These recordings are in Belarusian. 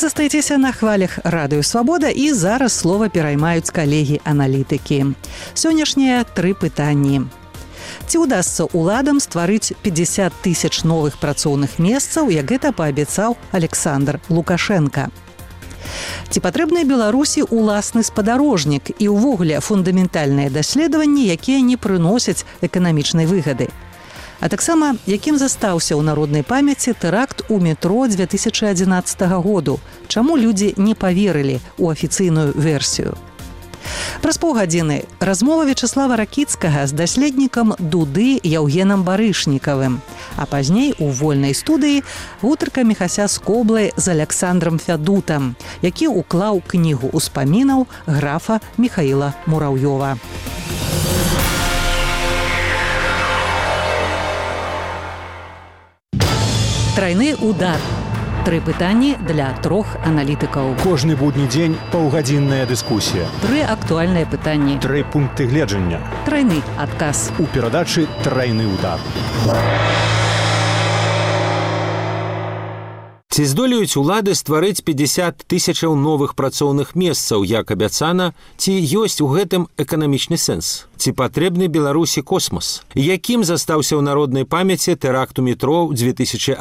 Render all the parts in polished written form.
застаецеся на хвалях Радыё Свабода, і зараз слова пераймаюць калегі-аналітыкі. Сённяшнія 3 пытанні. Ці ўдасца ўладам стварыць 50 тысяч новых працоўных месцаў, як гэта паабяцаў Александр Лукашенко? Ці патрэбны Беларусі уласны спадарожнік і ўвогуле фундаментальныя даследаванні, якія не прыносяць эканамічнай выгады? А таксама, якім застаўся ў народнай памяці тэракт у метро 2011 году? Чаму людзі не паверылі ў афіцыйную версію? Праз паўгадзіны размова Вячаслава Ракіцкага з даследнікам Дуды Яўгенам Барышнікавым, а пазней у вольнай студыі гутарка Міхася Скоблы з Аляксандрам Фядутам, які ўклаў кнігу ўспамінаў графа Міхаіла Мураўёва. Трайны удар. 3 пытанні для 3 аналітыкаў. Кожны будні дзень паўгадзінная дыскусія. 3 актуальныя пытанні. 3 пункты гледжання. Трайны адказ. У перадачы «Трайны удар». Ці здолеюць улады стварыць 50 тысячаў новых працоўных месцаў, як абяцана, ці ёсць у гэтым эканамічны сэнс? Ці патрэбны Беларусі космас? Якім застаўся ў народнай памяці тэракт у метро ў 2011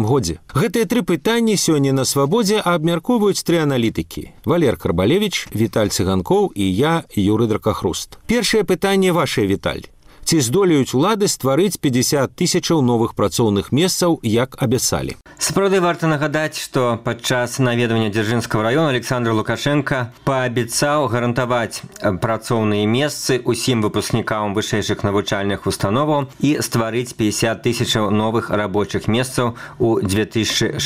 годзе? Гэтыя 3 пытанні сёння на Свабодзе абмяркоўваюць 3 аналітыкі. Валер Карбалевіч, Віталь Цыганкоў і я, Юры Дракахруст. Першае пытанне вашае, Віталь. Ці здолеюць улады стварыць 50 тысячаў новых працоўных месцаў, як абяцалі? Сапраўды варта нагадаць, што падчас наведвання Дзяржынскага раёна Александр Лукашенко паабяцаў гарантаваць працоўныя месцы ўсім выпускнікам вышэйшых навучальных установаў і стварыць 50 тысячаў новых рабочых месцаў у 2016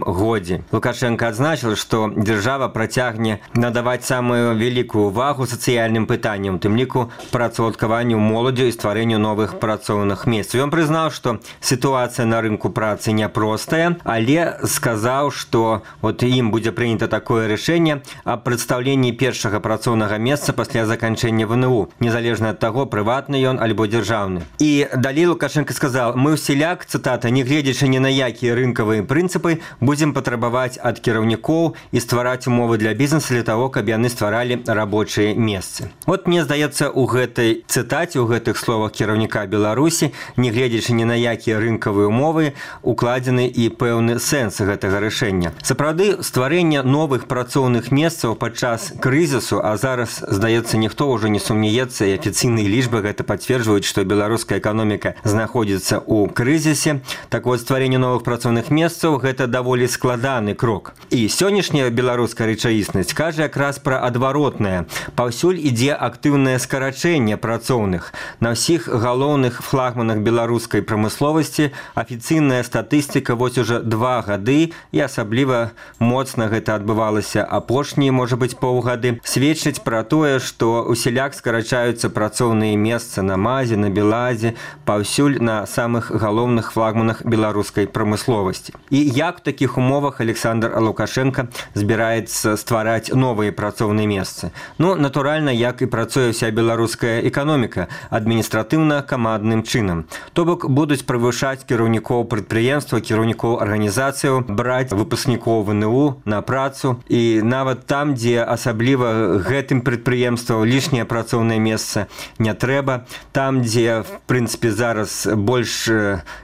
годзе. Лукашенко адзначыў, што дзяржава працягне надаваць самую вялікую ўвагу сацыяльным пытанням, у тым ліку працаўладкаванню моладзі і стварэнню новых працоўных месцаў. Ён прызнаў, што сітуацыя на рынку працы няпростая, але сказаў, што ім будзе прынята такое рашэнне аб прадстаўленні першага працоўнага месца пасля заканчэння ВНУ, незалежна ад таго, прыватны ён альбо дзяржаўны. І далей Лукашенко сказаў: «Мы ўсяляк, цытата, не гледзячы ні на якія рынкавыя прынцыпы, будзем патрабаваць ад кіраўнікоў і ствараць умовы для бізнеса для таго, каб яны стваралі рабочыя месцы». Мне здаецца, у гэтай цытаце, у гэтых словах кіраўніка Беларусі, не гледзячы ні на якія рынкавыя умовы, укладзены і пэўны сэнс гэтага рашэння. Сапраўды, стварэнне новых працоўных месцаў падчас крызісу, а зараз, здаецца, ніхто ўжо не сумнеецца, і афіцыйныя лічбы гэта пацверджваюць, што беларуская эканоміка знаходзіцца ў крызісе. Так вот, стварэнне новых працоўных месцаў – гэта даволі складаны крок. І сённяшняя беларуская рэчаіснасць кажа якраз пра адваротнае. Паўсюль ідзе актыўнае скарачэнне працоўных. На ўсіх галоўных флагманах беларускай прамысловасці афіцыйная статыстыка уже 2 гады, і асабліва моцна гэта адбывалася апошнія, можа быць, паўгады, сведчыць пра тое, што усяляк скарачаюцца працоўныя месцы на МАЗе, на Белазе, паўсюль на самых галоўных флагманах беларускай прамысловасці. І як у такіх умовах Александр Лукашенко збіраецца ствараць новыя працоўныя месцы? Натуральна, як і працуе ўся беларуская эканоміка, адміністратыўна-камандным чынам. То бок будуць прывышаць кіраўнікоў прадпрыемства, кіраўнікоў арганізацыяў, браць выпускнікоў ВНУ на працу, і нават там, дзе асабліва гэтым прадпрыемствам лішняе працоўнае месца не трэба, там, дзе, в прынцыпе, зараз больш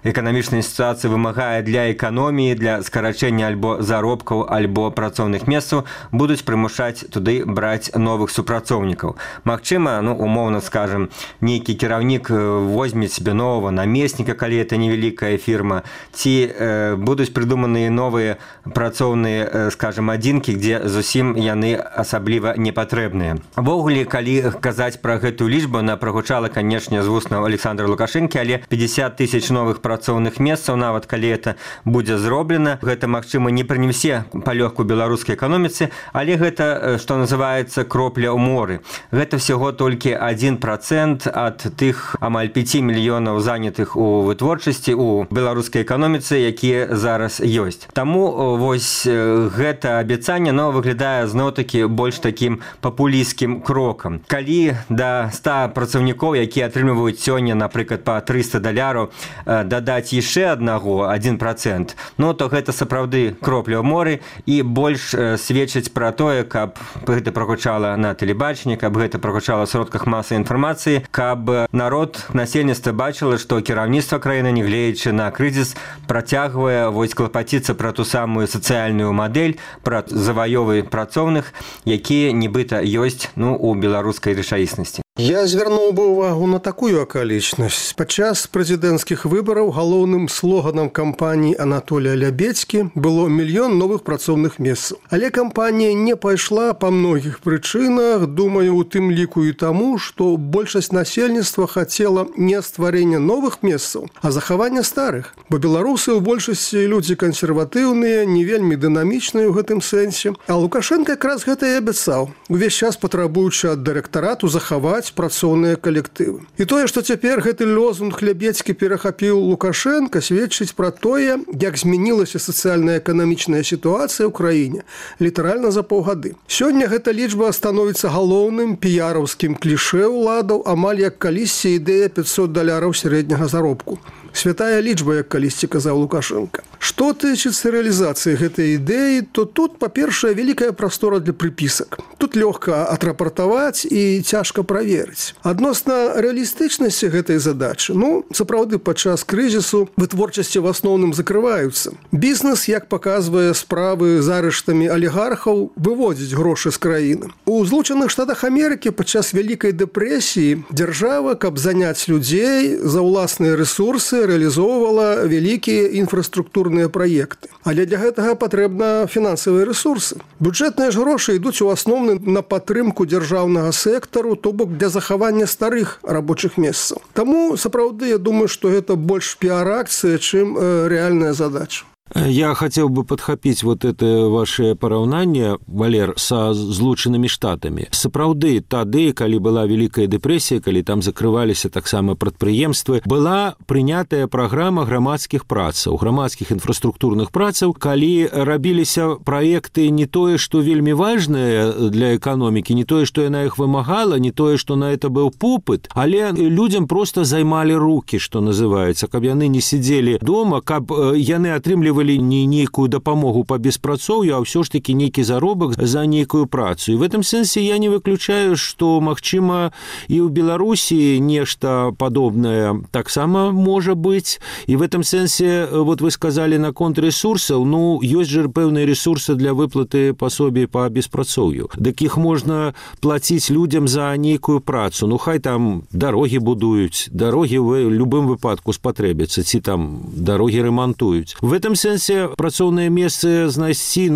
эканамічная сітуацыя вымагае для эканоміі, для скарачэння альбо заробкаў, альбо працоўных месцаў, будуць прымушаць туды браць новых супрацоўнікаў. Магчыма, умоўна скажам, нейкі кіраўнік возьме себе нового намесніка, калі это невялікая фірма, ці будуць прыдуманыя новыя працоўныя, скажем, адзінкі, дзе зусім яны асабліва не патрэбныя. Увогуле, калі казаць пра гэтую лічбу, она прагучала, канешне, з вуснаў Александра Лукашенкі, але 50 тысяч новых працоўных месцаў, нават калі это будзе зроблена, гэта, магчыма, не прынесе палёгку беларускай эканоміцы, але гэта, што называецца, кропля ў моры. Гэта всяго толькі 1% ад ад тых амаль 5 мільёнаў занятых у вытворчасці у беларускай эканоміцы, якія зараз ёсць. Таму вось гэта абяцанне выглядае зноў-такі больш такім папулісцкім крокам. Калі да 100 працаўнікоў, якія атрымліваюць сёння, напрыклад, па $300, дадаць яшчэ 1%, то гэта сапраўды кропля ў моры і больш сведчыць пра тое, каб гэта прагучала на тэлебачанні, каб гэта прагучала ў сродках масавай інфармацыі, каб народ, насельніцтва бачыла, што кіраўніцтва краіны, нягледзячы на крызіс, працягвае клапаціцца пра ту самую сацыяльную мадэль, пра заваёвы працоўных, якія нібыта ёсць у беларускай рэчаіснасці. Я звярнуў бы ўвагу на такую акалічнасць. Падчас прэзідэнцкіх выбараў галоўным слоганам кампаніі Анатолія Лябедзькі было «Мільён новых працоўных месцаў». Але кампанія не пайшла па многіх прычынах, думаю, у тым ліку і таму, што большасць насельніцтва хацела не стварэння новых месцаў, а захавання старых. Бо беларусы ў большасці людзі кансерватыўныя, не вельмі дынамічныя ў гэтым сэнсе. А Лукашенко якраз гэта і абяцаў, увесь час патрабуючы ад дырэктарату захаваць працоўныя калектывы. І тое, што цяпер гэты лозунг Лябедзькі перахапіў Лукашенко, сведчыць пра тое, як змянілася сацыяльна-эканамічная сітуацыя ў краіне літаральна за паўгады. Сёння гэта лічба становіцца галоўным піяраўскім клішэ ўладаў, амаль як калісьці ідэя $500 сярэдняга заробку. Святая лічба, як калісьці казаў Лукашенко. Што тычыцца рэалізацыі гэтай ідэі, то тут, па-першае, вялікая прастора для прыпісак. Тут лёгка атрапартаваць і цяжка праверыць. Адносна рэалістычнасці гэтай задачы, сапраўды, падчас крызісу вытворчасці в асноўным закрываюцца. Бізнес, як паказвае справы з арыштамі алігархаў, выводзіць грошы з краіны. У Злучаных Штатах Амерыкі падчас вялікай дэпрэсіі дзяржава, каб заняць людзей за ўласныя рэсурсы, рэалізоўвала вялікія інфраструктурныя праекты. Але для гэтага патрэбна фінансавыя рэсурсы. Бюджэтныя ж грошы ідуць у асноўным на падтрымку дзяржаўнага сектару, то бок для захавання старых рабочых месцаў. Таму, сапраўды, я думаю, што гэта больш піар-акцыя, чым рэальная задача. Я хотел бы подхапіць это ваше параўнанне, Валер, са Злучанымі Штатамі. Сапраўды, тады, калі была вялікая дэпрэсія, калі там закрываліся таксама прадпрыемствы, была прынятая праграма грамадскіх працаў, грамадскіх інфраструктурных працаў, калі рабіліся праекты не тое, што вельмі важнае для эканомікі, не тое, што яна іх вымагала, не тое, што на это быў попыт, але людзям проста займалі рукі, што называецца, каб яны не сидзелі дома, каб яны атрымлівалі не нейкую дапамогу по беспрацоўю, а ўсё ж таки нейкі заробак за нейкую працу. І в этом сэнсе я не выключаю, што, магчыма, і ў Беларусі нешта падобнае таксама можа быць. І в этом сэнсе, вы сказали наконт ресурсаў, ёсць же пэўныя ресурсы для выплаты пасобий по беспрацоўю. Дык іх можна плаціць людзям за нейкую працу. Хай там дарогі будуюць, дарогі в любым выпадку спатрэбяцца, ці там дарогі рамантуюць. В этом сэнсе працоўнае месцы знайсці,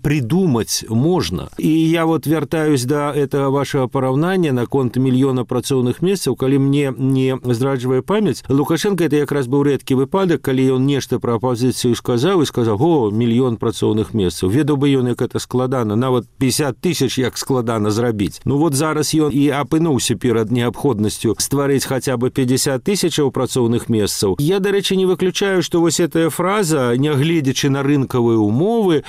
придумаць можна. І я вяртаюсь да этого вашего параўнання наконт мільёна працоўных месцаў, калі мне не здраджвае памяць. Лукашенко это якраз быў рэдкі выпадак, калі ён нешта пра апозіцыю сказаў, мільён працоўных месцаў. Ведаў бы ён, як это складана, нават 50 000 як складана зрабіць. Зараз ён і апынуўся перад неабходнасцю стварыць хаця бы 50 000 працоўных месцаў. Я, дарэчы, не выключаю, што гэтая фраза, нягледзячы на рынкавыя умовы,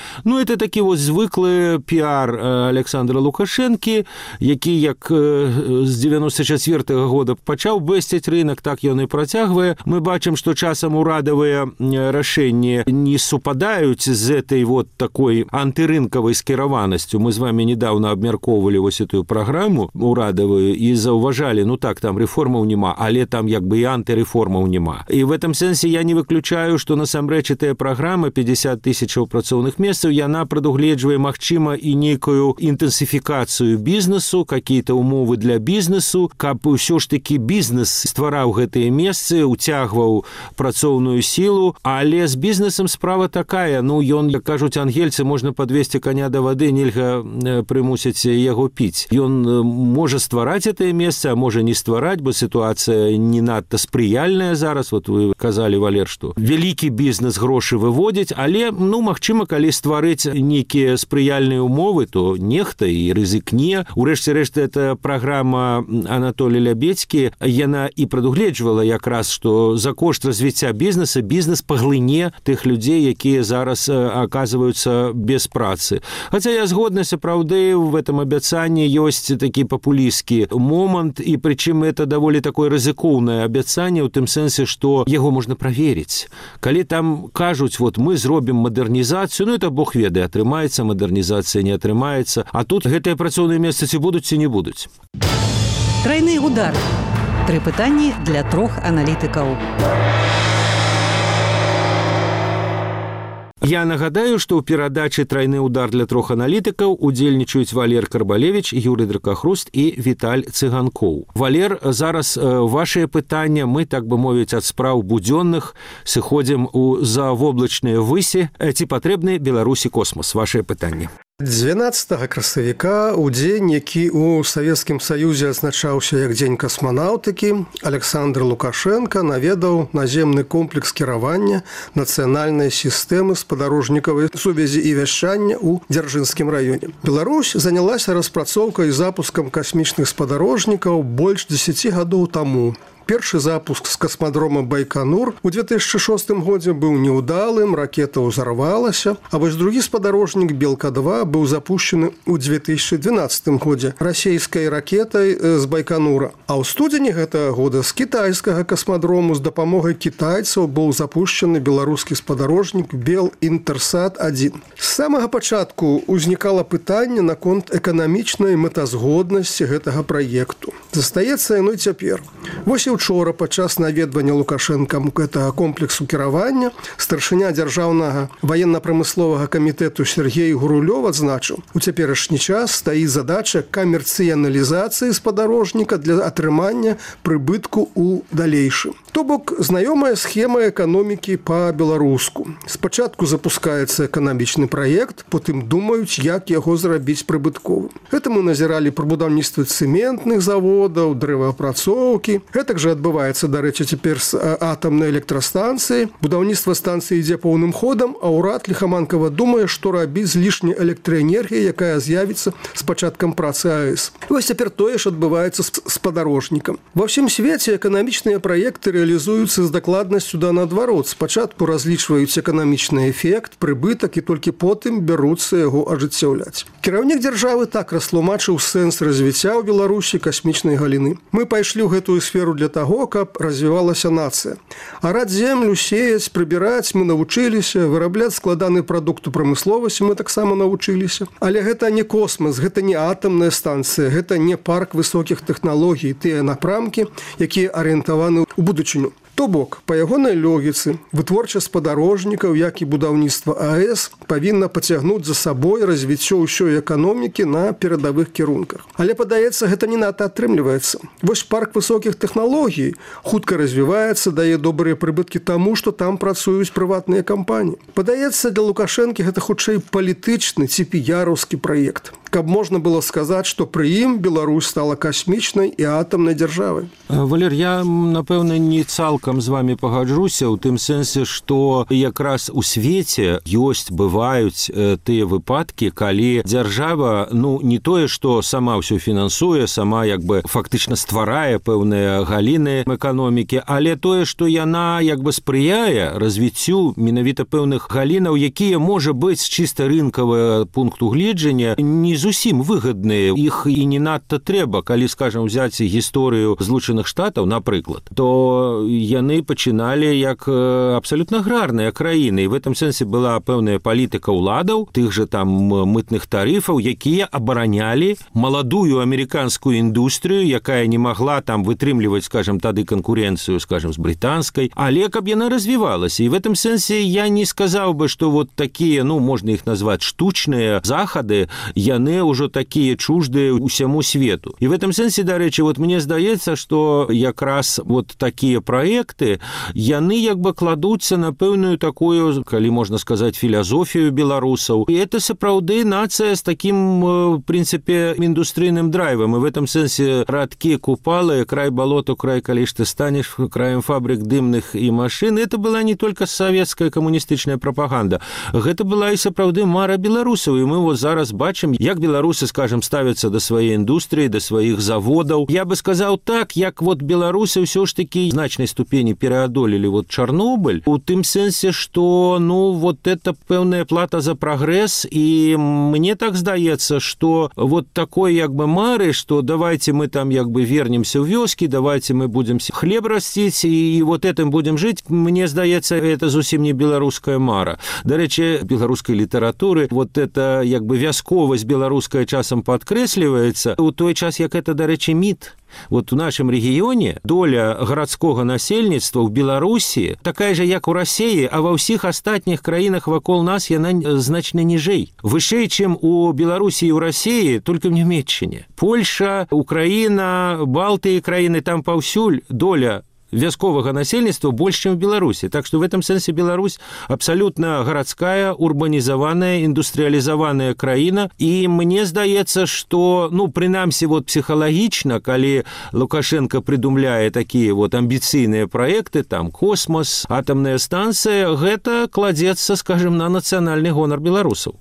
это такі звыклы піар Александра Лукашэнкі, які як з 94-го года пачаў бэсціць рынок, так ён і працягвае. Мы бачым, што часам урадавыя рашэнні не супадаюць з этой такой антырынкавай скіраванасцю. Мы з вами недавно абмяркоўвалі эту праграму урадавую і заўважалі, там рэформаў няма, але там і антырэформаў няма. І в этом сэнсе я не выключаю, што насамрэч гэтая праграма 50 000 працоўных месцаў, яна прадугледжвае, магчыма, і нейкую інтэнсіфікацыю бізнесу, какие-то умовы для бізнесу, каб ўсё ж таки бізнес ствараў гэтыя месцы, уцягваў працоўную сілу, але з бізнесам справа такая, ён, як кажуць ангельцы, можна падвесці коня да вады, нельга прымусіць яго піць. Ён можа ствараць гэтае месца, а можа не ствараць, бо сітуацыя не надта спрыяльная зараз. Вы казалі, Валер, што вялікі бізнес грошы выводзіць, але магчыма, калі стварыць нейкія спрыяльныя умовы, то нехта і рызыкне. Урэшце рэшт, эта праграма Анатолия Лябедзькі, яна і прадугледжвала якраз, што за кошт развіцця бізнеса бізнес паглыне тых людзей, якія зараз аказваюцца без працы. Хаця я згодна, сапраўды, в этом абяцанні ёсць такі папулісцкі момант, і прычым это даволі такое рызыкоўнае абяцанне ў тым сэнсе, што яго можна праверыць. Калі там кажуць, вот мы зробім мадэрнізацыю, это Бог ведае, атрымаецца мадэрнізацыя, не атрымаецца, а тут гэтыя працоўныя месцы ці будуць, ці не будуць. Тройны удар. 3 пытанні для 3 аналітыкаў. Я нагадаю, што ў перадачы «Тройны удар» для 3 аналітыкаў удзельнічаюць Валер Карбалевіч, Юрый Дракахруст і Віталь Цыганкоў. Валер, зараз вашыя пытання, мы, так бы мовіць, ад спраў будзённых сыходзім у завоблачныя высі. Ці патрэбны Беларусі космас? Вашыя пытанні. 12 красавіка, у дзень, які ў Савецкім Саюзе адзначаўся як дзень касманаўтыкі, Александр Лукашенко наведаў наземны комплекс кіравання нацыянальнай сістэмы спадарожнікавай сувязі і вяшчання ў Дзяржынскім раёне. Беларусь занялася распрацоўкай і запускам касмічных спадарожнікаў больш 10 гадоў таму. Першы запуск з касмадрома Байконур у 2006 годзе быў неўдалым, ракета ўзарвалася, а вось другі спадарожнік Белка-2 быў запущены ў 2012 годзе расійскай ракетай з Байконура. А ў студзені гэтага года з кітайскага касмадрому з дапамогай кітайцаў быў запущены беларускі спадарожнік Бел-Інтэрсат-1. З самага пачатку ўзнікала пытанне наконт эканамічнай мэтазгоднасці гэтага праекту. Застаецца яно і цяпер. Вось учора падчас наведвання Лукашэнкам гэтага комплексу кіравання старшыня дзяржаўнага ваенна-прамысловага камітэту Сергей Гурулёв адзначыў, у цяперашні час стаіць задача камерцыяналізацыі спадарожніка для атрымання прыбытку ў далейшым. То бок, знаёмая схема эканомікі па-беларуску. Спачатку запускаецца эканамічны праект, потым думаюць, як яго зрабіць прыбытковым. Гэта мы назіралі пры будаўніцтве цэментных заводаў, дрэваапрацоўкі. Гэтак жа адбываецца, дарэчы, цяпер з атамнай электрастанцыі. Будаўніцтва станцыі ідзе поўным ходам, а ўрад ліхаманкава думае, што рабіць з лішняй электраэнергіяй, якая з'явіцца з пачаткам працы АЭС. Вось цяпер тое ж адбываецца з спадарожнікам. Ва ўсім свеце эканамічныя праекты реалізуюцца з дакладнасцю да наадварот. Спачатку разлічваюць эканамічны эфект, прыбытак і толькі потым бяруцца яго ажыццяўляць. Кіраўнік дзяржавы так растлумачыў сэнс развіцця ў Беларусі касмічнай галіны. Мы пайшлі ў гэтую сферу для таго, каб развівалася нацыя. Араць землю, сеяць, прыбіраць мы навучыліся, вырабляць складаны прадукт у прамысловасці мы таксама навучыліся. Але гэта не космас, гэта не атамная станцыя, гэта не парк высокіх тэхналогій, тыя напрамкі, якія арыентаваны ў будучыню. То бок, па ягонай логіцы, вытворчасць спадарожнікаў, як і будаўніцтва АЭС, павінна пацягнуць за сабой развіццё ўсёй эканомікі на перадавых кірунках. Але, падаецца, гэта не надта атрымліваецца. Вось парк высокіх тэхналогій хутка развіваецца, дае добрыя прыбыткі таму, што там працуюць прыватныя кампаніі. Падаецца, для Лукашэнкі гэта хутчэй палітычны ці піяраўскі праект. Каб можна было сказаць, што пры ім Беларусь стала касмічнай і атамнай дзяржавай. Валер, я, напэўна, не цалкам з вами пагаджуся ў тым сэнсе, што якраз у свеце ёсць, бываюць тыя выпадкі, калі дзяржава, не тое, што сама ўсё фінансуе, сама як бы фактычна стварае пэўныя галіны эканомікі, але тое, што яна як бы спрыяе развіццю менавіта пэўных галінаў, якія, можа быць, з чыста рынкавага пункту гледжання не зусім выгадныя, іх і не надта трэба. Калі, скажам, взяць гісторыю Злучаных Штатаў, напрыклад, то яны пачыналі як абсалютна аграрныя краіны, і в этом сэнсе была пэўная палітыка ўладаў, тых жа там мытных тарыфаў, якія абаранялі маладую амерыканскую індустрыю, якая не магла там вытрымліваць, скажам, тады канкурэнцыю, скажам, з брытанскай, але каб яна развівалася. І в этом сэнсе я не сказаў бы, што вот такія, можна іх назваць штучныя захады, яны яны ўжо такія чуждыя ўсяму свету. І в этом сэнсе, дарэчы, вот мне здаецца, што якраз вот такія праекты, яны як бы кладуцца на пэўную такую, калі можна сказаць, філасофію беларусаў. І это сапраўды нацыя з такім, в прынцыпе, індустрыйным драйвам. І в этом сэнсе радкі, купалы, край балоту, край, калі ж ты станеш краем фабрик дымных і машин, это была не только советская камуністычная прапаганда. Гэта была і сапраўды мара беларусаў. І мы вот зараз бачым, як беларусы, скажем, ставяцца да сваёй індустрыі, да сваіх заводаў. Я бы сказаў так, як вот беларусы ўсё ж таки значнай ступені пераадолелі вот Чарнобыль, у тым сэнсе, што, ну, вот это пэўная плата за прагрэс, і мне так здаецца, што вот такой як бы мары, што давайте мы там як бы вернемся ў вёскі, давайте мы будем хлеб расціць і вот этим будем жыць, мне здаецца, это зусім не беларуская мара. Дарэчы, беларускай літаратуры вот это як бы вясковасць беларуская часам падкрэсліваецца, у той час, як это, дарэчы, міт. Вот у нашем регионе доля городского насельніцтва в Беларусі такая же, як у России, а во всех остатніх краінах вакол нас яна значна ніжэй. Вышэй, чым у Беларусі і у России, только в Нямецчыне. Польша, Украина, Балтыі краіны, там паўсюль доля вясковага насельніцтва больш, чым в Беларусі. Так что в этом сэнсе Беларусь абсолютно городская, урбанизованная, индустриализованная краіна. И мне здаецца, что, ну, прынамсі, вот психологично, калі Лукашенко придумляе такие вот амбіцыйныя проекты, там космос, атомная станция, гэта кладзецца, скажем, на национальный гонор беларусаў.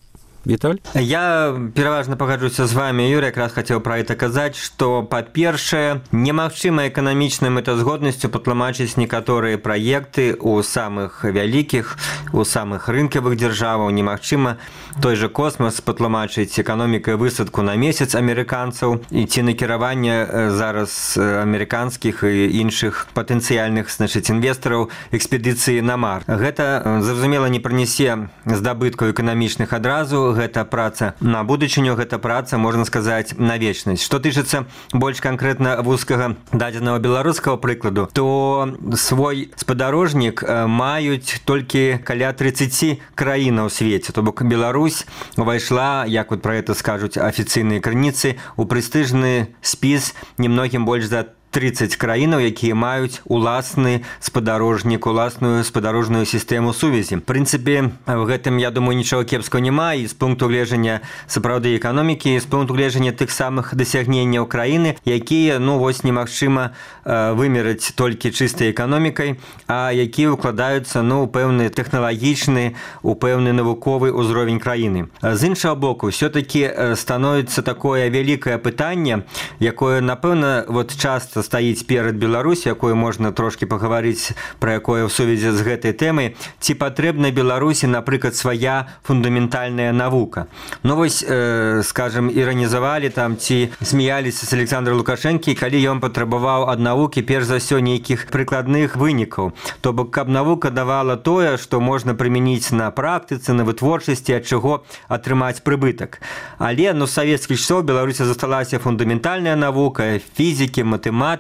Віталь? Я пераважна пагаджуся з вами, Юрий, якраз хацеў пра гэта казаць, што, па-першае, немагчыма эканамічнай мэтазгоднасцю патлумачыць некаторыя праекты ў самых вялікіх, у самых рынкавых дзяржаваў. Немагчыма той же космос патлумачыць эканомікай высадку на месяц амерыканцаў і ці накіраванне зараз амерыканскіх і іншых патэнцыяльных, значыць, інвестараў экспедыцыі на Марс. Гэта, зразумела, не прынясе здабыткаў эканамічных адразу. Гэта праца на будучыню, гэта праца, можна сказаць, на вечнасць. Што тычыцца больш канкрэтна вузкага дадзенага беларускага прыкладу, то свой спадарожнік маюць толькі каля 30 краінаў у свеце. То бок Беларусь увайшла, як вот пра гэта скажуць афіцыйныя крыніцы, у прэстыжны спіс немногім больш за 30 краінаў, якія маюць уласны спадарожнік, уласную спадарожную сістэму сувязі. В прынцыпе, в гэтым, я думаю, нічога кепскага няма, і з пункту гледжання сапраўды эканомікі, і з пункту гледжання тых самых дасягненняў краіны, якія, ну, вось немагчыма вымераць толькі чыстай эканомікай, а якія укладаюцца, ну, у пэўны тэхналагічны, у пэўны навуковы ўзровень краіны. З іншага боку, ўсё-такі становіцца такое вялікае пытанне, якое, напэўна, вот часта стаіць перад Беларусю, якое можна трошки пагаварыць, пра якое ў сувязі з гэтай тэмай, ці патрэбна Беларусі, напрыклад, свая фундаментальная навука. Ну вось, скажем, іранізавалі там, ці смяяліся з Александра Лукашэнкі, калі ён патрабаваў ад навукі перш за ўсё нейкіх прыкладных вынікаў. То бок, каб навука давала тое, што можна прымяніць на практыцы, на вытворчасці, ад чаго атрымаць прыбытак. Але, ну, з савецкіх часоў Беларусі засталася фундаментальная навука, фізікі, матэматыкі,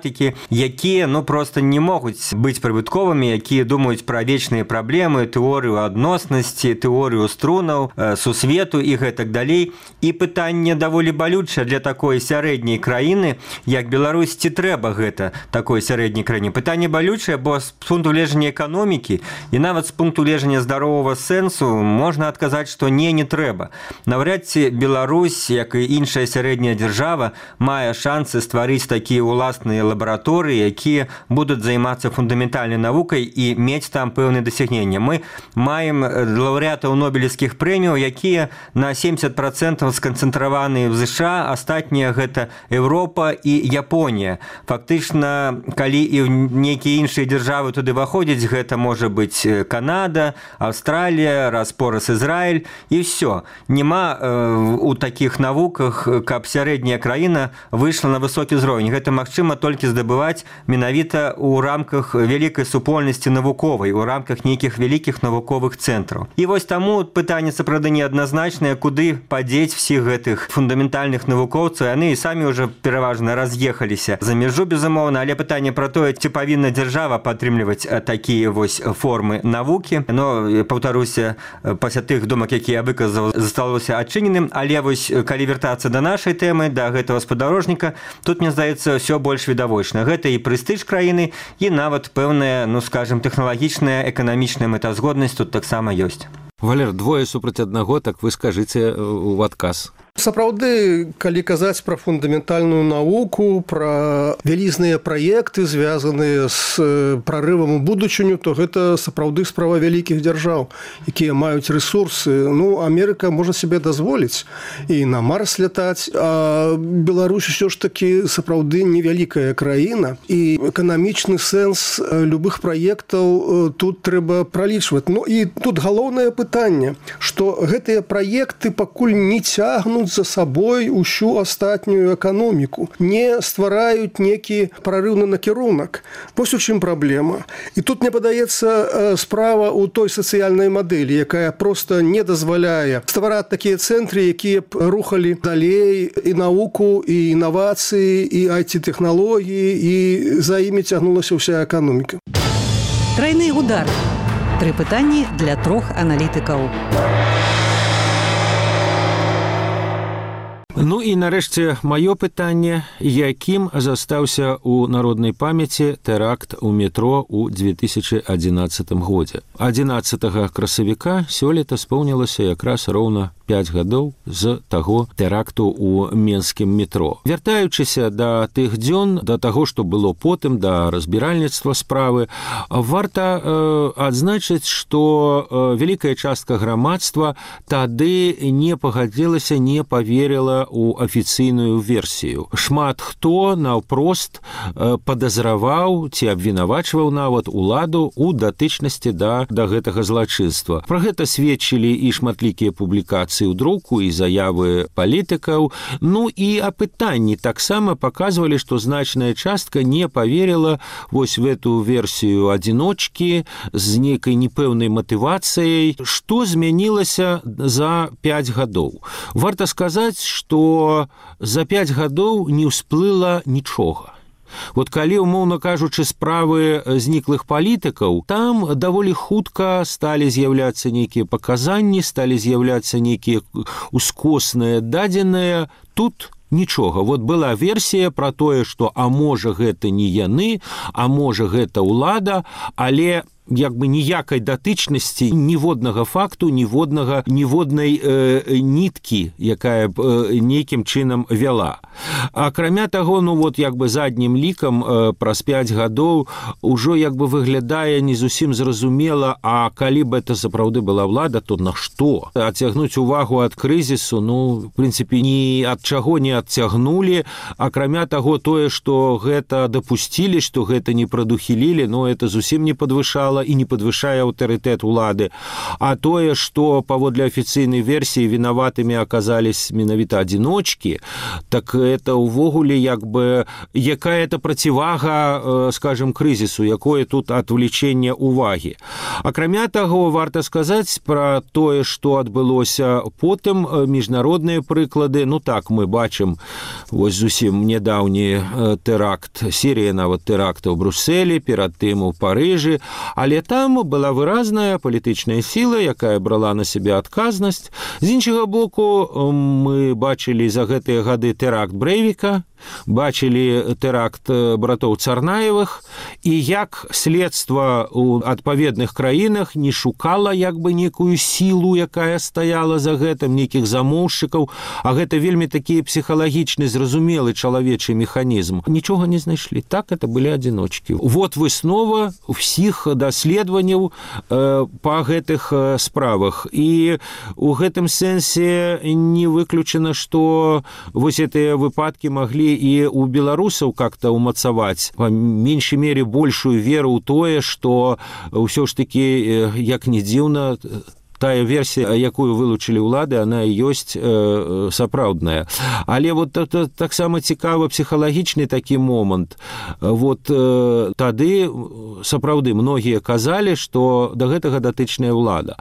якія, ну, просто не могуць быць прыбытковымі, якія думаюць пра вечныя праблемы, тэорыю адноснасці, тэорыю струнаў, сусвету і гэтак далей. І пытанне даволі балючае для такой сярэдняй краіны, як Беларусь, ці трэба гэта такой сярэдняй краіне. Пытанне балючае, бо з пункту гледжання эканомікі і нават з пункту гледжання здаровага сэнсу можна адказаць, што не трэба. Наўряд ці Беларусь, як і іншая сярэдняя дзяржава, мае шансы стварыць такія ўласныя лабараторыі, якія будуць займацца фундаментальнай навукай і мець там пэўныя дасягнення. Мы маем лаўрэатаў нобелевскіх прэміяў, якія на 70% сканцэнтраваны ў ЗША, астатнія гэта Еўропа і Японія. Фактычна, калі і нейкія іншыя дзяржавы туды выходзяць, гэта можа быць Канада, Аўстралія, раз-пораз Ізраіль, і ўсё. Нема у такіх навуках, каб сярэдняя краіна выйшла на высокі ўзровень. Гэта магчыма толькі толькі здабываць менавіта ў рамках вялікай супольнасці навуковай, у рамках нейкіх вялікіх навуковых цэнтраў. І вось таму пытанне сапраўды неадназначнае, куды падзець всіх гэтых фундаментальных навукоўцаў. Яны і самі ўжо пераважна раз'ехаліся за мяжу, безумоўна, але пытанне пра тое, ці павінна дзяржава падтрымліваць такія вось формы навукі. Но, паўтаруся, пасля тых думак, якія я выказаў, засталося адчыненым, але вось калі вяртацца да нашай тэмы, да гэтага спадарожніка, тут, мне здаецца, ўсё больш відавочна. Гэта і прэстыж краіны, і нават пэўная, скажем, тэхналагічная, эканамічная мэтазгоднасць тут таксама ёсць. Валер, двое супраць аднаго, так вы скажыце ў адказ. Сапраўды, калі казаць пра фундаментальную навуку, пра вялізныя праекты, звязаныя з прарывам у будучыню, то гэта сапраўды справа вялікіх дзяржаў, якія маюць рэсурсы. Амерыка можа себе дазволіць і на Марс лятаць, а Беларусь ўсё ж такі сапраўды невялікая краіна, і эканамічны сэнс любых праектаў тут трэба пралічваць. І тут галоўнае пытанне, што гэтыя праекты пакуль не цягнуць за сабой усю астатнюю эканоміку, не ствараюць некі прарыўны накірунак. Вось у чым праблема. І тут, мне падаецца, справа ў той сацыяльнай мадэлі, якая проста не дазваляе ствараць такія цэнтры, якія б рухалі далей і навуку, і інавацыі, і IT-тэхналогіі, і за імі цягнулася ўся эканоміка. Тройны удар. 3 пытанні для 3 аналітыкаў. І нарэшце маё пытанне, якім застаўся ў народнай памяці тэракт у метро ў 2011 годзе. 11 красавіка сёлета споўнілася якраз роўна 5 гадоў з таго тэракту ў менскім метро. Вяртаючыся да тых дзён, да таго, што было потым, да разбіральніцтва справы, варта адзначыць, што вялікая частка грамадства тады не пагадзілася, не поверила у афіцыйную версію. Шмат хто наўпрост падазраваў ці абвінавачваў нават уладу ў датычнасці да гэтага злачынства. Пра гэта сведчылі і шматлікія публікацыі ў друку, і заявы палітыкаў. І апытанні таксама паказвалі, што значная частка не поверила вось в эту версію адзіночкі з нейкай непэўнай матывацыяй. Што змянілася за 5 гадоў? Варта сказаць, што за 5 гадоў не ўсплыла нічога. Калі, умоўна кажучы, справы зніклых палітыкаў, там даволі хутка сталі з'яўляцца нейкія паказанні, сталі з'яўляцца нейкія ускосныя дадзеныя. Тут нічога. Была версія пра тое, што можа гэта не яны, а можа гэта ўлада, але ніякай датычнасці, ніводнага факту, ніводнай ніткі, якая б нейкім чынам вяла. Акрамя таго, заднім лікам праз 5 гадоў ужо выглядае не зусім зразумела, а калі б это сапраўды была ўлада, то на што? Адцягнуць увагу ад крызісу, в прынцыпе, ні ад чаго не адцягнулі. Акрамя таго, тое, што гэта дапусцілі, што гэта не прадухілілі, это зусім не падвышала і не падвышае аўтарытэт улады. А тое, што паводле афіцыйнай версіі вінаватымі аказались менавіта адзіночкі, так это ўвогуле якая-то процівага, скажем, крызісу, якое тут адвлечэнне ўвагі. Акрамя таго, варта сказаць пра тое, што адбылося потым, міжнародныя прыклады. Так, мы бачым вось зусім нядаўні тэракт, серія нават тэрактаў у Брусэлі, перад тым у Парыжы, але там была выразная палітычная сіла, якая брала на сябе адказнасць. З іншага боку, мы бачылі за гэтыя гады тэракт Брэйвіка, бачылі тэракт братоў Царнаевых, і як следства ў адпаведных краінах не шукала некую сілу, якая стаяла за гэтым, нейкіх замоўшчыкаў, а гэта вельмі такі псіхалагічны, зразумелы чалавечы механізм. Нічога не знайшлі. Так, это былі адзіночкі. Выснова ўсіх даследаванняў па гэтых справах. І у гэтым сэнсе не выключана, што вось гэтыя выпадкі маглі і у беларусаў как-то умацаваць, па меншай мере, большую веру ў тое, што ўсё ж такі, як не дзіўна, тая версія, якую вылучылі ўлады, она і ёсць сапраўдная. Але вот таксама цікава псіхалагічны такі момант. Вот тады сапраўды многія казалі, што да гэтага датычная ўлада.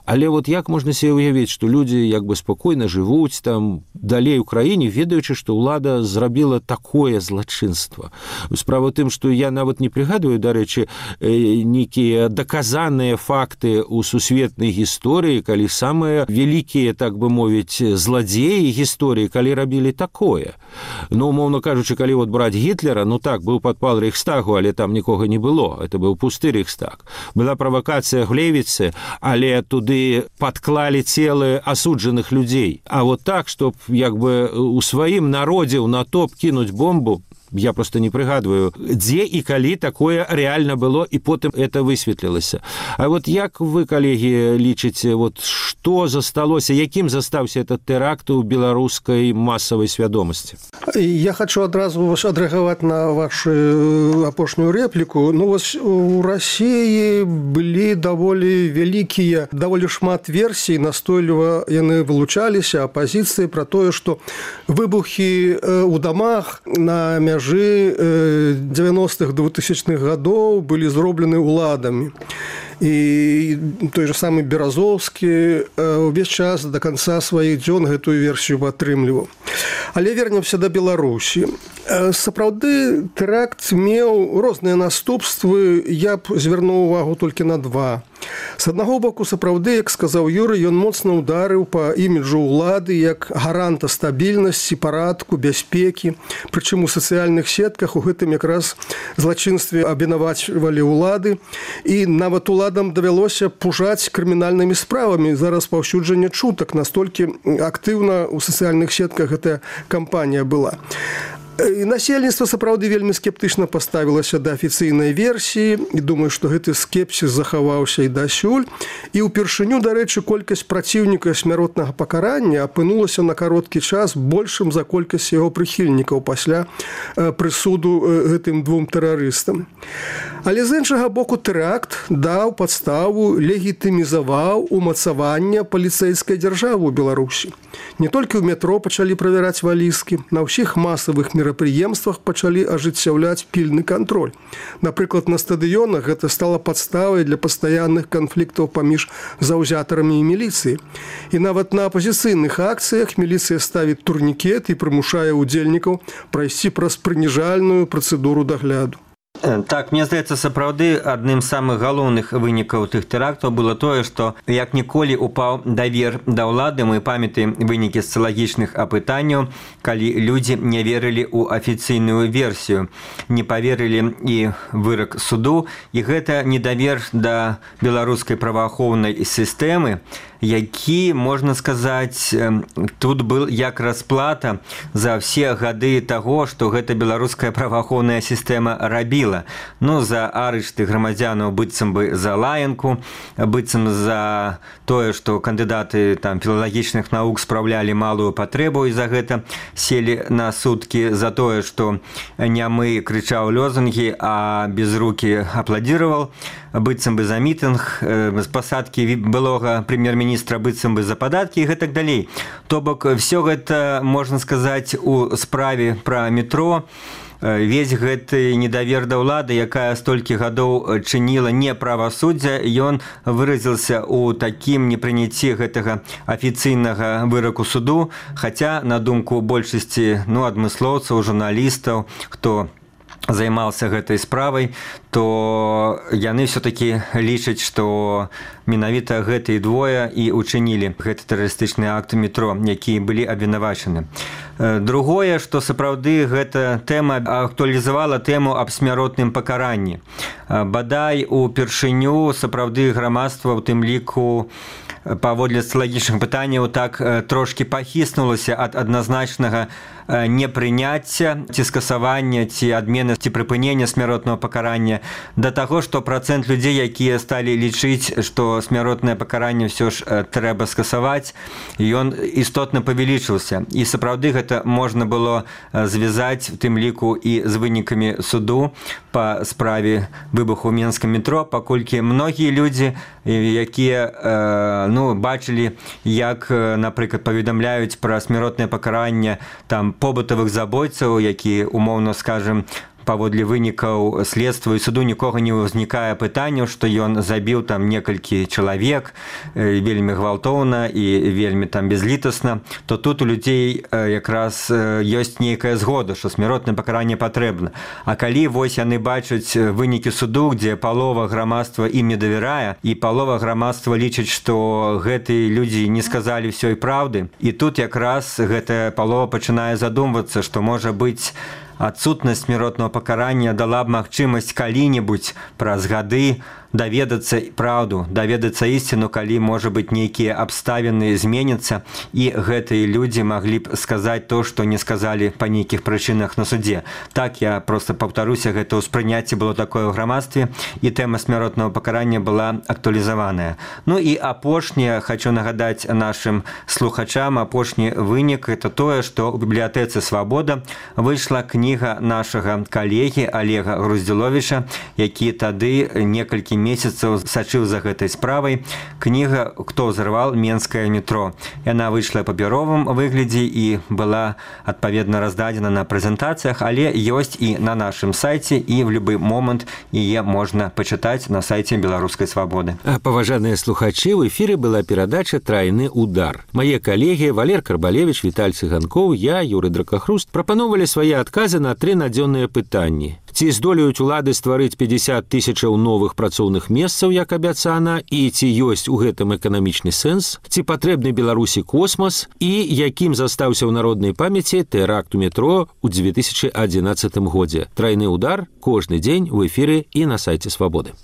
Але вот як можна себе уявіць, што людзі як бы спакойна жывуць там далей у краіне, ведаючы, што ўлада зрабіла такое злачынства. Справа ў тым, што я нават не прыгадваю, дарэчы, нейкія даказаныя факты ў сусветнай гісторыі, калі самыя вялікія, так бы мовіць, зладзеі гісторыі, калі рабілі такое. Ну, умоўна кажучы, калі вот браць Гітлера, ну так, быў падпал Рэйхстагу, але там нікога не было. Это быў пусты Рэйхстаг. Была правакацыя Глевіцы, але туды падклалі целы асуджаных людзей. А вот так, чтоб як бы у сваім народзе ў натоп кінуць бомбу, я просто не прыгадваю, дзе і калі такое реально было, і потым это высветлілася. А вот як вы, калегі, лічыце, вот што засталося, якім застаўся этот тэракт у беларускай масавай свядомасці? Я хочу адразу адрэагаваць на вашу апошнюю рэпліку. Ну, вось у России былі даволі вялікія, даволі шмат версій, настойліва яны вылучаліся, апазіцыі пра тое, што выбухі ў дамах на мяжы 90-х, 2000-х гадоў былі зроблены ўладамі. І той же самы Беразовскі увесь час до конца сваіх дзён гэтую версію падтрымліваў. Але вернемся да Беларусі. Сапраўды тэракт меў розныя наступствы, я б звярнуў увагу толькі на два. З аднаго боку, сапраўды, як сказаў Юрый, ён моцна ударыў па іміджу ўлады як гаранта стабільнасці, парадку, бяспекі. Прычым у сацыяльных сетках у гэтым якраз злачынстве абвінавачвалі ўлады, і нават уладам давялося пужаць крымінальнымі справамі за распаўсюджанне чутак. Настолькі актыўна ў сацыяльных сетках гэтая кампанія была. І насельніцтва сапраўды вельмі скептычна паставілася да афіцыйнай версіі, і думаю, што гэты скепсіс захаваўся і дасюль. І ўпершыню, дарэчы, колькасць праціўнікаў смяротнага пакарання апынулася на кароткі час большым за колькасць яго прыхільнікаў пасля прысуду гэтым двум тэрарыстам. Але з іншага боку, тэракт даў падставу, легітымізаваў умацаванне паліцэйскай дзяржавы ў Беларусі. Не толькі ў метро пачалі правяраць валізкі, на ўсіх масавых мерапрыемствах пачалі ажыццяўляць пільны кантроль. Напрыклад, на стадыёнах гэта стала падставай для пастаянных канфліктаў паміж заўзятарамі і міліцыяй. І нават на апазіцыйных акцыях міліцыя ставіць турнікет і прымушае ўдзельнікаў прайсці праз прыніжальную працэдуру дагляду. Так, мне здаецца, сапраўды адным з самых галоўных вынікаў тых тэрактаў было тое, што як ніколі упаў давер да ўлады. Мы памятаем вынікі сацыялагічных апытанняў, калі людзі не верылі ў афіцыйную версію, не паверылі і вырак суду, і гэта недавер да беларускай праваахоўнай сістэмы, які, можна сказаць, тут был як расплата за ўсе гады таго, што гэта беларуская праваахоўная сістэма рабіла. Ну, за арышты грамадзянаў быццам бы за лаянку, быццам за тое, што кандыдаты там філалагічных навук спраўлялі малую патрэбу і за гэта селі на суткі, за тое, што нямы крычаў лозунгі, а безрукі апладзіраваў, быццам бы за мітынг, з пасадкі былога прэм'ер-міністра быццам бы за падаткі і гэтак далей. То бок, все гэта, можна сказаць, у справе пра метро. Весь гэты недавер да ўлады, якая столькі гадоў чыніла неправасуддзя, ён выразіўся ў такім непрыняцці гэтага афіцыйнага выраку суду, хаця, на думку большасці адмыслоўцаў, журналістаў, хто займаўся гэтай справай, то яны все-таки лічаць, што менавіта гэтыя двое і учынілі гэты тэрарыстычны акт у метро, якія былі абвінавачаны. Другое, што сапраўды гэта тэма актуалізавала тэму аб смяротным пакаранні. Бадай упершыню сапраўды грамадства, у тым ліку паводле сацыялагічных пытанняў, так трошкі пахіснулася ад адназначнага непрыняцця ці скасавання ці адмены ці прыпынення смяротнага пакарання пытанне да таго, што працэнт людзей, якія сталі лічыць, што смяротнае пакаранне ўсё ж трэба скасаваць, ён істотна павялічыўся. І сапраўды гэта можна было звязаць, в тым ліку і з вынікамі суду па справе выбуху ў Менскім метро, паколькі многія людзі, якія бачылі, як, напрыклад, паведамляюць пра смяротнае пакаранне там побытавых забойцаў, які, умоўна скажем, паводле вынікаў следства і суду нікога не ўзнікае пытанняў, што ён забіў там некалькі чалавек вельмі гвалтоўна і вельмі там безлітасна, то тут у людзей якраз ёсць нейкая згода, што смяротнае пакаранне патрэбна. А калі вось яны бачаць вынікі суду, дзе палова грамадства ім не давярае, і палова грамадства лічыць, што гэтыя людзі не сказалі ўсёй праўды, і тут якраз гэтая палова пачынае задумвацца, што можа быць адсутнасць смяротнага пакарання дала б магчымасць калі-небудзь праз гады даведацца праўду, даведацца ісціну, калі, можа быць, нейкія абставіны зменяцца, і гэтыя людзі маглі б сказаць то, што не сказалі па нейкіх прычынах на судзе. Так, я проста паўтаруся, гэта ўспрыняцце было такое ў грамадстве, і тэма смяротнага пакарання была актуалізаваная. Ну і апошняе, хочу нагадаць нашым слухачам, апошні вынік – это тое, што ў бібліятэцы «Свабода» выйшла кніга нашага калегі Олега Груздзіловіча, які тады некалькі месяцаў сачыў за гэтай справай. Кніга «Хто ўзарваў Менскае метро». Яна выйшла ў папяровым выглядзе і была адпаведна раздадзена на прэзентацыях, але ёсць і на нашым сайце, і в любы момант яе можна пачытаць на сайце Беларускай свабоды. Паважаныя слухачы, у эфіры была перадача «Трайны удар». Мае калегі Валер Карбалевіч, Віталь Цыганкоў, я, Юрый Дракахруст, прапановалі свае адказы на 3 надзённыя пытанні. Ці здолеюць улады стварыць 50 тысячаў новых працоўных месцаў, як абяцана, і ці ёсць у гэтым эканамічны сэнс, ці патрэбны Беларусі космас, і якім застаўся ў народнай памяці тэракт у метро ў 2011 годзе. Трайны удар кожны дзень у эфіры і на сайце Свабоды.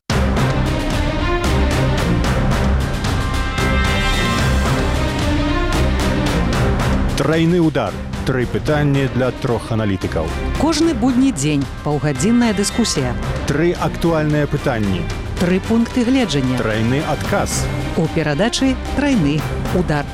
Трайны удар. 3 пытанні для 3 аналітыкаў. Кожны будні дзень паўгадзінная дыскусія. 3 актуальныя пытанні. 3 пункты гледжання. Трайны адказ. У перадачы «Трайны удар».